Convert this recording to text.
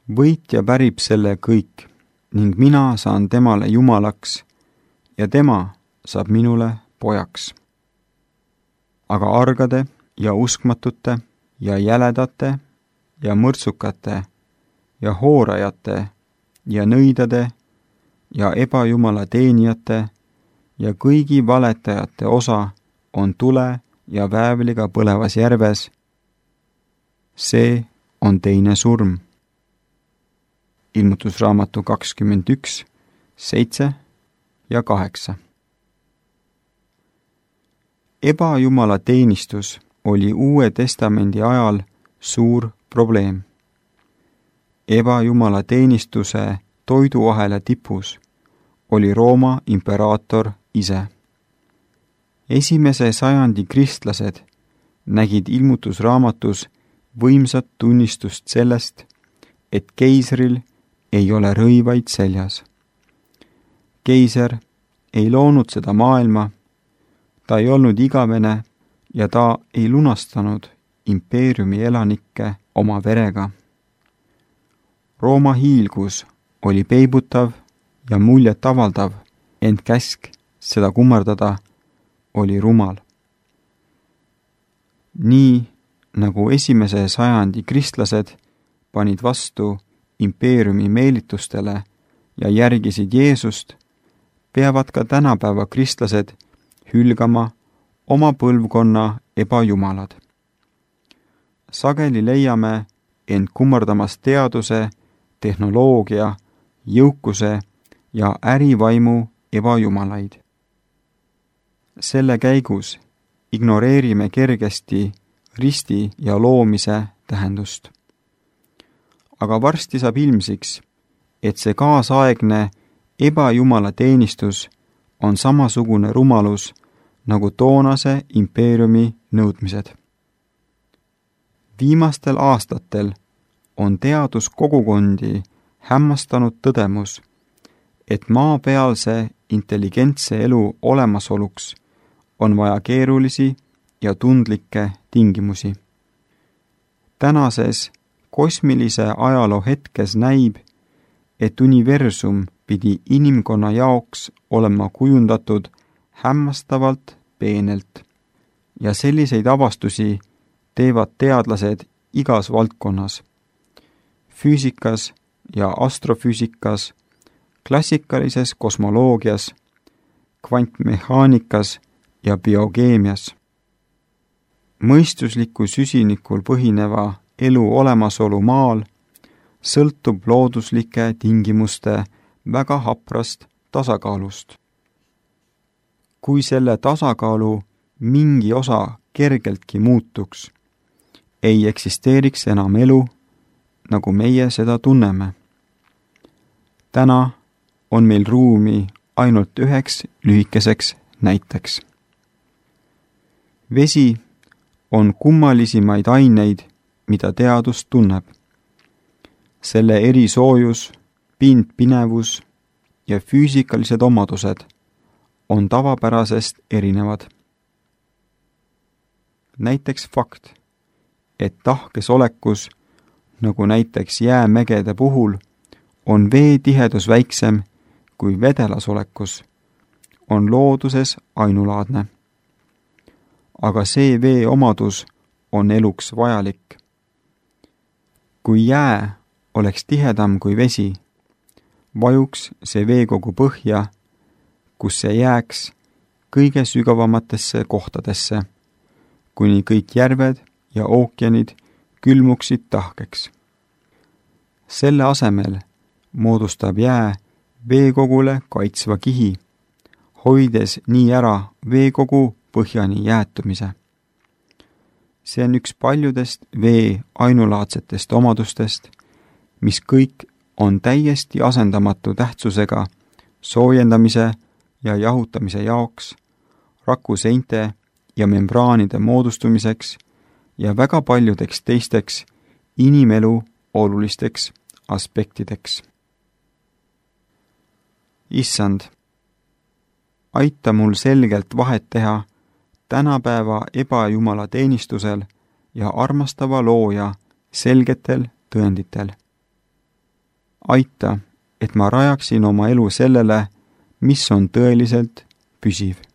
Võitja pärib selle kõik ning mina saan temale jumalaks ja tema saab minule pojaks. Aga argade ja uskmatute ja jäledate ja mõrtsukate ja hoorajate ja nõidade ja ebajumala teenijate ja kõigi valetajate osa on tule ja väävliga põlevas järves. See on teine surm. Ilmutusraamatu 21, 7 ja 8. Ebajumala teenistus oli Uue Testamendi ajal suur probleem. Ebajumala teenistuse toiduahela tipus oli Rooma imperaator ise. Esimese sajandi kristlased nägid ilmutusraamatus võimsat tunnistust sellest, et keisril ei ole rõivaid seljas. Keiser ei loonud seda maailma, ta ei olnud igavene ja ta ei lunastanud impeeriumi elanikke oma verega. Rooma hiilgus oli peibutav ja muljet avaldav, ent käsk seda kummardada oli rumal. Nii nagu esimese sajandi kristlased panid vastu impeeriumi meelitustele ja järgisid Jeesust, peavad ka tänapäeva kristlased hülgama oma põlvkonna ebajumalad. Sageli leiame end kummardamas teaduse, tehnoloogia, jõukuse ja ärivaimu ebajumalaid. Selle käigus ignoreerime kergesti risti ja loomise tähendust. Aga varsti saab ilmsiks, et see kaasaegne ebajumala teenistus on samasugune rumalus nagu toonase impeeriumi nõudmised. Viimastel aastatel on teaduskogukondi hämmastanud tõdemus, et maapealse intelligentse elu olemasoluks on vaja keerulisi ja tundlikke tingimusi. Tänases kosmilise ajaloo hetkes näib, et universum pidi inimkonna jaoks olema kujundatud hämmastavalt peenelt ja selliseid avastusi teevad teadlased igas valdkonnas, füüsikas ja astrofüüsikas, klassikalises kosmoloogias, kvantmehaanikas ja biokeemias. Mõistusliku süsinikul põhineva elu olemasolu maal sõltub looduslike tingimuste väga haprast tasakaalust. Kui selle tasakaalu mingi osa kergeltki muutuks, ei eksisteeriks enam elu, nagu meie seda tunneme. Täna on meil ruumi ainult üheks lühikeseks näiteks. Vesi on kummalisimaid aineid, mida teadus tunneb. Selle erisoojus, pindpinevus ja füüsikalised omadused on tavapärasest erinevad. Näiteks fakt, et tahkes olekus, nagu näiteks jäämägede puhul, on vee tihedus väiksem kui vedelas olekus, on looduses ainulaadne. Aga see vee omadus on eluks vajalik. Kui jää oleks tihedam kui vesi, vajuks see veekogu põhja, kus see jääks kõige sügavamatesse kohtadesse, kuni kõik järved ja ookeanid külmuksid tahkeks. Selle asemel moodustab jää veekogule kaitsva kihi, hoides nii ära veekogu põhjani jäätumise. See on üks paljudest vee ainulaadsetest omadustest, mis kõik on täiesti asendamatu tähtsusega soojendamise ja jahutamise jaoks, rakuseinte ja membraanide moodustumiseks ja väga paljudeks teisteks inimelu olulisteks aspektideks. Issand, aita mul selgelt vahet teha tänapäeva ebajumala teenistusel ja armastava looja selgetel tõenditel. aita, et ma rajaksin oma elu sellele, mis on tõeliselt püsiv.